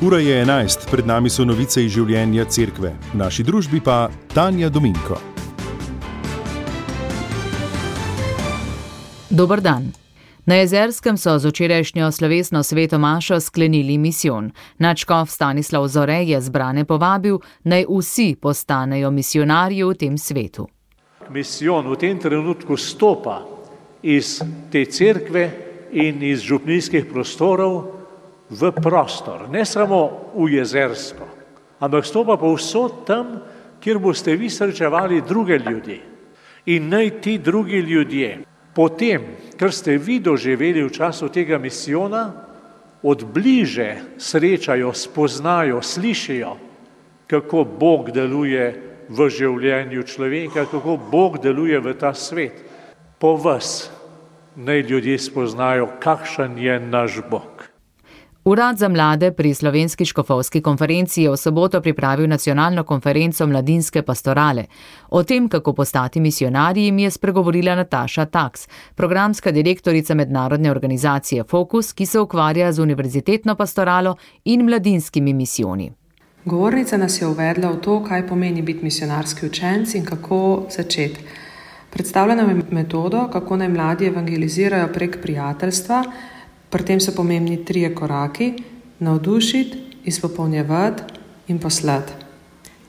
Ura je 11, pred nami so novice iz življenja cerkve, v naši družbi pa Tanja Dominko. Dober dan. Na Jezerskem so z včerajšnjo slovesno sveto mašo sklenili misijon. Nadškof Stanislav Zore je zbrane povabil, naj vsi postanejo misijonarji v tem svetu. Misijon v tem trenutku stopa iz te cerkve in iz župnijskih prostorov v prostor, ne samo v Jezersko, ampak stopa povsod tam, kjer boste vi srečevali druge ljudi. In naj ti drugi ljudje, potem, kar ste vi doživeli v času tega misijona, od bliže srečajo, spoznajo, slišijo, kako Bog deluje v življenju človeka, kako Bog deluje v ta svet. Po vas naj ljudje spoznajo, kakšen je naš Bog. Urad za mlade pri Slovenski škofovski konferenci je v soboto pripravil nacionalno konferenco mladinske pastorale. O tem, kako postati misijonarji, mi je spregovorila Nataša Taks, programska direktorica mednarodne organizacije Fokus, ki se ukvarja z univerzitetno pastoralo in mladinskimi misijoni. Govornica nas je uvedla v to, kaj pomeni biti misijonarski učenci in kako začeti. Predstavlja nam metodo, kako naj mladi evangelizirajo prek prijateljstva. Pri tem so pomembni 3 koraki: navdušiti, izpopolnjevati in poslati.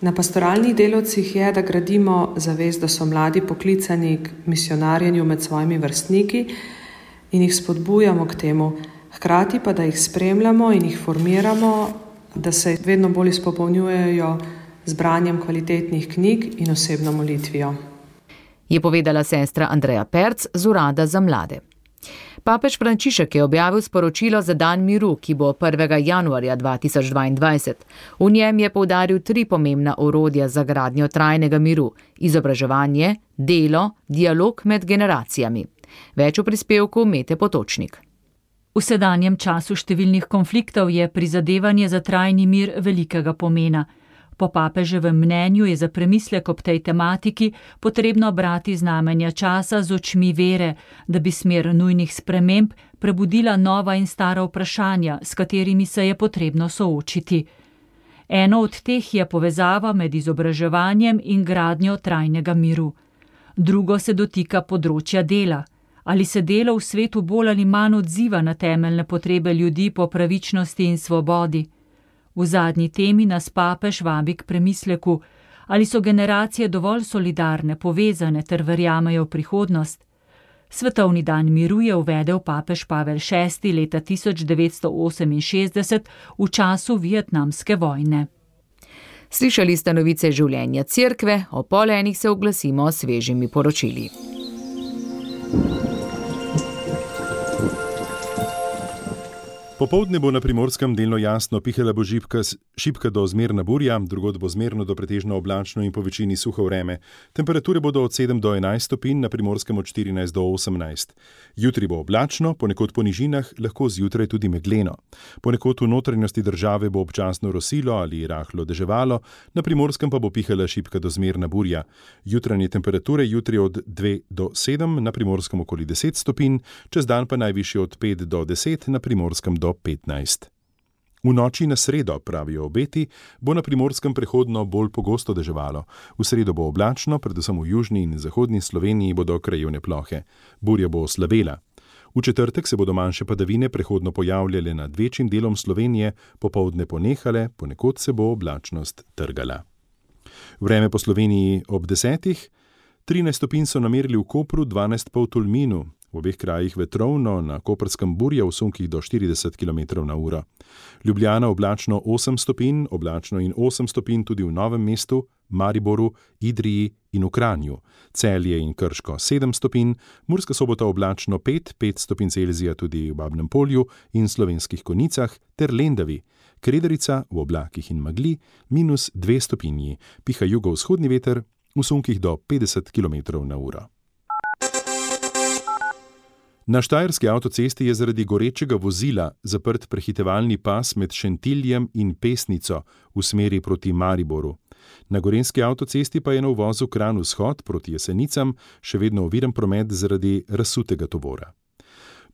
Na pastoralnih delavcih je, da gradimo zavest, da so mladi poklicani k misijonarjenju med svojimi vrstniki in jih spodbujamo k temu, hkrati pa, da jih spremljamo in jih formiramo, da se vedno bolj izpopolnjujejo z branjem kvalitetnih knjig in osebno molitvijo. Je povedala sestra Andreja Perc z Urada za mlade. Papež Frančišek je objavil sporočilo za dan miru, ki bo 1. januarja 2022. V njem je poudaril 3 pomembna orodja za gradnjo trajnega miru: izobraževanje, delo, dialog med generacijami. Več v prispevku Mete Potočnik. V sedanjem času številnih konfliktov je prizadevanje za trajni mir velikega pomena. Po papeževem mnenju je za premislek ob tej tematiki potrebno brati znamenja časa z očmi vere, da bi smer nujnih sprememb prebudila nova in stara vprašanja, s katerimi se je potrebno soočiti. Eno od teh je povezava med izobraževanjem in gradnjo trajnega miru. Drugo se dotika področja dela. Ali se delo v svetu bolj ali manj odziva na temeljne potrebe ljudi po pravičnosti in svobodi? V zadnji temi nas papež vabi k premisleku, ali so generacije dovolj solidarne, povezane ter verjamejo v prihodnost. Svetovni dan miru je uvedel papež Pavel VI leta 1968 v času vietnamske vojne. Slišali ste novice življenja cerkve, o 12:30 se oglasimo s svežimi poročili. Popoldne bo na Primorskem delno jasno, pihala bo šibka do zmerna burja, drugod bo zmerno do pretežno oblačno in po večini suho vreme. Temperature bodo od 7 do 11 stopinj, na Primorskem od 14 do 18. Jutri bo oblačno, ponekod po nižinah, lahko zjutraj tudi megleno. Ponekod v notranjosti države bo občasno rosilo ali rahlo deževalo, na Primorskem pa bo pihala šibka do zmerna burja. Jutranje temperature jutri od 2 do 7, na Primorskem okoli 10 stopinj, čez dan pa najvišje od 5 do 10, na Primorskem do 15. V noči na sredo, pravijo obeti, bo na Primorskem prehodno bolj pogosto deževalo. V sredo bo oblačno, predvsem v južni in zahodni Sloveniji bodo krajevne plohe. Burja bo oslabela. V četrtek se bodo manjše padavine prehodno pojavljale nad večjim delom Slovenije, popoldne ponehale, ponekod se bo oblačnost trgala. Vreme po Sloveniji ob 10. 13 stopinj so namerili v Kopru, 12 pa v Tolminu. V obeh krajih vetrovno, na Koprskem burja v sunkih do 40 km/h. Ljubljana oblačno 8 stopinj, oblačno in 8 stopinj tudi v Novem mestu, Mariboru, Idriji in v Kranju. Celje in Krško 7 stopinj, Murska Sobota oblačno 5 stopinj Celzija tudi v Babnem Polju in Slovenskih Konjicah ter Lendavi. Kredarica v oblakih in megli -2 stopinji, piha jugovzhodni veter v sunkih do 50 km/h. Na štajerski avtocesti je zaradi gorečega vozila zaprt prehitevalni pas med Šentiljem in Pesnico v smeri proti Mariboru. Na gorenjski avtocesti pa je na uvozu Kranj vzhod proti Jesenicam še vedno oviran promet zaradi razsutega tovora.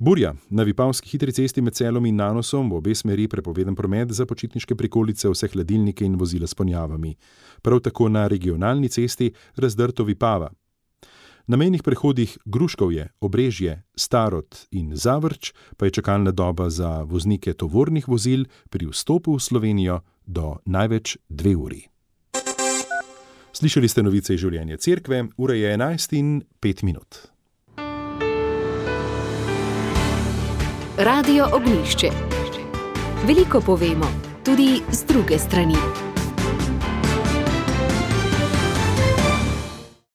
Burja. Na Vipavski hitri cesti med Celom in Nanosom v obe smeri prepovedan promet za počitniške prikolice, vse hladilnike in vozila s ponjavami. Prav tako na regionalni cesti Razdrto Vipava. Na mejnih prehodih Gruškovje, Obrežje, Starod in Zavrč pa je čakalna doba za voznike tovornih vozil pri vstopu v Slovenijo do največ 2 uri. Slišali ste novice iz življenja cerkve, ura je 11:05. Radio Ognjišče. Veliko povemo, tudi z druge strani.